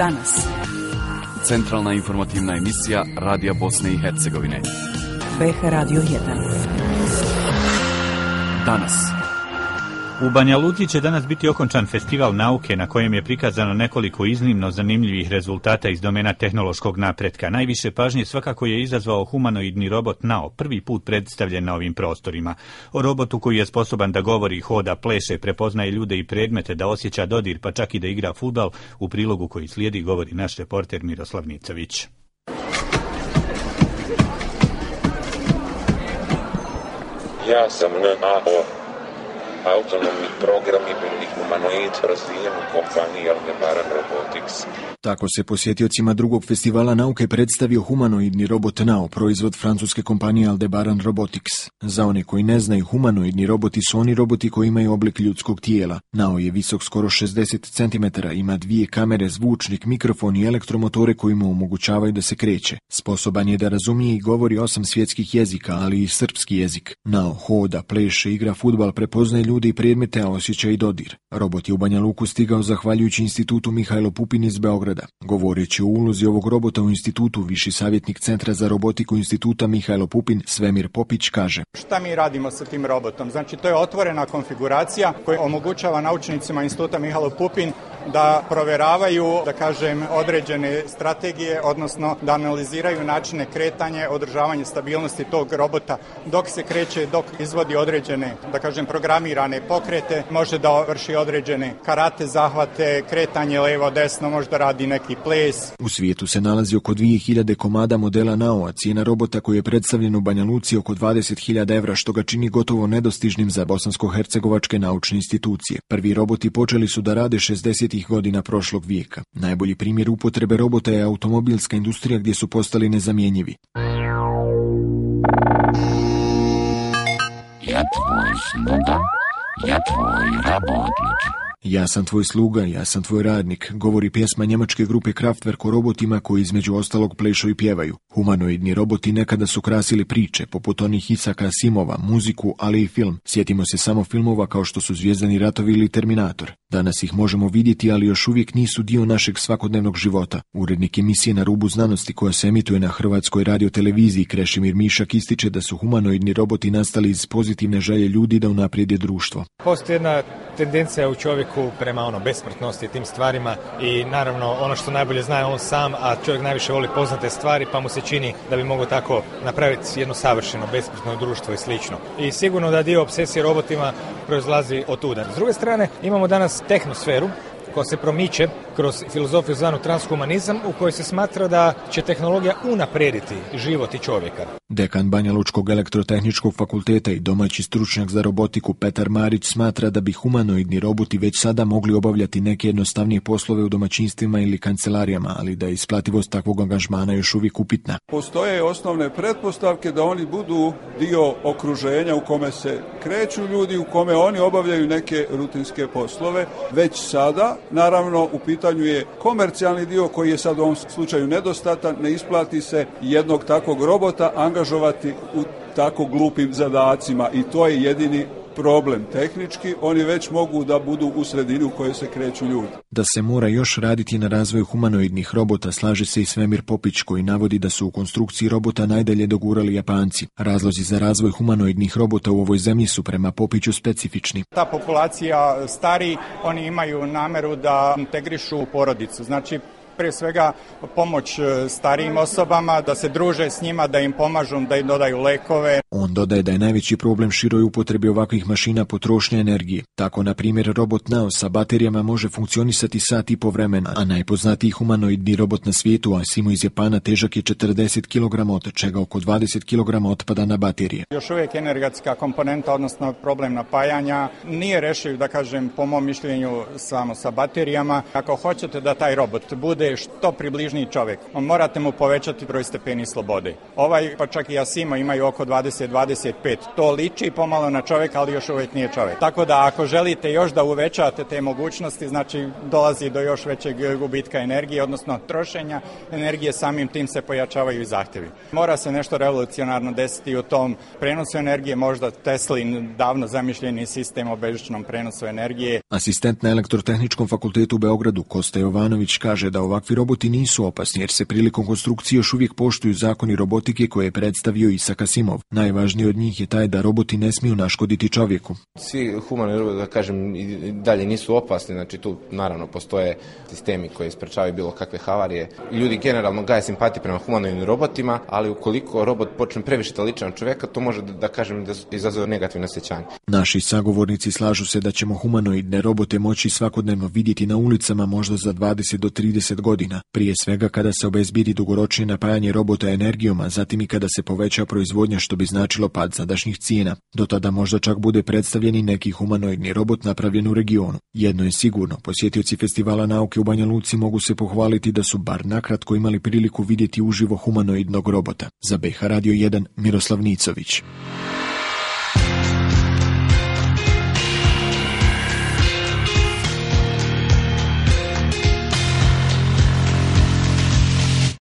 Danas. Centralna informativna emisija Radija Bosne i Hercegovine. BH Radio 1. Danas. U Banja Luci će danas biti okončan festival nauke na kojem je prikazano nekoliko iznimno zanimljivih rezultata iz domena tehnološkog napretka. Najviše pažnje svakako je izazvao humanoidni robot Nao, prvi put predstavljen na ovim prostorima. O robotu koji je sposoban da govori, hoda, pleše, prepoznaje ljude i predmete, da osjeća dodir, pa čak i da igra fudbal, u prilogu koji slijedi govori naš reporter Miroslav Nicović. Ja sam Nao. Autonomni program i biljni humanoid razvijen u kompaniji Aldebaran Robotics. Tako se posjetiocima drugog festivala nauke predstavio humanoidni robot Nao, proizvod francuske kompanije Aldebaran Robotics. Za one koji ne znaju, humanoidni roboti su oni roboti koji imaju oblik ljudskog tijela. Nao je visok skoro 60 cm, ima 2 kamere, zvučnik, mikrofon i elektromotore koji mu omogućavaju da se kreće. Sposoban je da razumije i govori 8 svjetskih jezika, ali i srpski jezik. Nao hoda, pleše, igra fudbal, prepoznaje ljude i predmete, a osjeća i dodir. Robot je u Banja Luku stigao zahvaljujući institutu Mihajlo Pupin iz Beograda. Govoreći o ulozi ovog robota u institutu, viši savjetnik Centra za robotiku instituta Mihajlo Pupin, Svemir Popić, kaže: Šta mi radimo sa tim robotom? Znači, to je otvorena konfiguracija koja omogućava naučnicima instituta Mihajlo Pupin da proveravaju, da kažem, određene strategije, odnosno da analiziraju načine kretanja, održavanje stabilnosti tog robota dok se kreće, dok izvodi određene, da kažem, programirane pokrete, može da vrši određene karate zahvate, kretanje levo-desno, može da radi neki ples. U svijetu se nalazi oko 2000 komada modela Nao, a cijena robota koji je predstavljen u Banja Luci oko 20.000 evra, što ga čini gotovo nedostižnim za bosansko-hercegovačke naučne institucije. Prvi roboti počeli su da rade 60. godina prošlog vijeka. Najbolji primjer upotrebe robota je automobilska industrija gdje su postali nezamjenjivi. Ja tvoj sluga, ja tvoj rabotnik. Ja sam tvoj sluga, ja sam tvoj radnik, govori pjesma njemačke grupe Kraftwerk o robotima koji između ostalog plešu i pjevaju. Humanoidni roboti nekada su krasili priče, poput onih Isaka Asimova, muziku, ali i film. Sjetimo se samo filmova kao što su Zvijezdani ratovi ili Terminator. Danas ih možemo vidjeti, ali još uvijek nisu dio našeg svakodnevnog života. Urednik emisije Na rubu znanosti koja se emituje na Hrvatskoj radioteleviziji Krešimir Mišak ističe da su humanoidni roboti nastali iz pozitivne želje ljudi da unaprijede društvo. Postoji jedna tendencija u čovjeku prema besmrtnosti i tim stvarima i naravno ono što najbolje zna je on sam, a čovjek najviše voli poznate stvari, pa mu se čini da bi mogao tako napraviti jedno savršeno besmrtno društvo i slično. I sigurno da dio obsesije robotima proizlazi od tuda. S druge strane imamo danas tehnosferu koja se promiče kroz filozofiju zvanu transhumanizam, u kojoj se smatra da će tehnologija unaprijediti život i čovjeka. Dekan Banja Lučkog elektrotehničkog fakulteta i domaći stručnjak za robotiku Petar Marić smatra da bi humanoidni roboti već sada mogli obavljati neke jednostavnije poslove u domaćinstvima ili kancelarijama, ali da je isplativost takvog angažmana još uvijek upitna. Postoje osnovne pretpostavke da oni budu dio okruženja u kome se kreću ljudi, u kome oni obavljaju neke rutinske poslove. Već sada, naravno, u pitanju je komercijalni dio koji je sad u ovom slučaju nedostatan, ne isplati se jednog takvog robota angažovati u tako glupim zadacima i to je jedini problem. Tehnički oni već mogu da budu u sredini u kojoj se kreću ljudi. Da se mora još raditi na razvoju humanoidnih robota, slaže se i Svemir Popić koji navodi da su u konstrukciji robota najdalje dogurali Japanci. Razlozi za razvoj humanoidnih robota u ovoj zemlji su prema Popiću specifični. Ta populacija stari, oni imaju nameru da integrišu u porodicu. Znači, prije svega pomoć starijim osobama, da se druže s njima, da im pomažu, da im dodaju lekove. On dodaje da je najveći problem široj upotrebi ovakvih mašina potrošnja energije. Tako, na primjer, robot Nao sa baterijama može funkcionisati sat i po vremena, a najpoznatiji humanoidni robot na svijetu, Asimo iz Japana, težak je 40 kg, od čega oko 20 kg otpada na baterije. Još uvijek energetska komponenta, odnosno problem napajanja, nije rešiv, da kažem, po mom mišljenju, samo sa baterijama. Ako hoćete da taj robot bude što približniji čovjek, morate mu povećati broj stepeni slobode. Pa čak i Asimo imaju oko 20-25. To liči pomalo na čovjeka, ali još uvijek nije čovjek. Tako da ako želite još da uvećate te mogućnosti, znači dolazi do još većeg gubitka energije, odnosno trošenja energije, samim tim se pojačavaju i zahtjevi. Mora se nešto revolucionarno desiti u tom prenosu energije, možda Teslin davno zamišljeni sistem o bežičnom prenosu energije. Asistent na Elektrotehničkom fakultetu u Beogradu Kosta Jovanović kaže da ovakvi roboti nisu opasni jer se prilikom konstrukcije još uvijek poštuju zakoni robotike koje je predstavio Isaac Asimov. Najvažniji od njih je taj da roboti ne smiju naškoditi čovjeku. Svi humani roboti, da kažem, i dalje nisu opasni, znači tu naravno postoje sistemi koji sprečavaju bilo kakve havarije. Ljudi generalno gaje simpatiju prema humanoidnim robotima, ali ukoliko robot počne previše da liči na čovjeka, to može da kažem da izazove negativne osjećanje. Naši sagovornici slažu se da ćemo humanoidne robote moći svakodnevno vidjeti na ulicama možda za 20 do 30 godina. Prije svega kada se obezbijedi dugoročnije napajanje robota energijom, a zatim i kada se poveća proizvodnja, što bi značilo pad sadašnjih cijena. Do tada možda čak bude predstavljen i neki humanoidni robot napravljen u regionu. Jedno je sigurno, posjetioci Festivala nauke u Banja Luci mogu se pohvaliti da su bar nakratko imali priliku vidjeti uživo humanoidnog robota. Za BH Radio 1 Miroslav Nicović.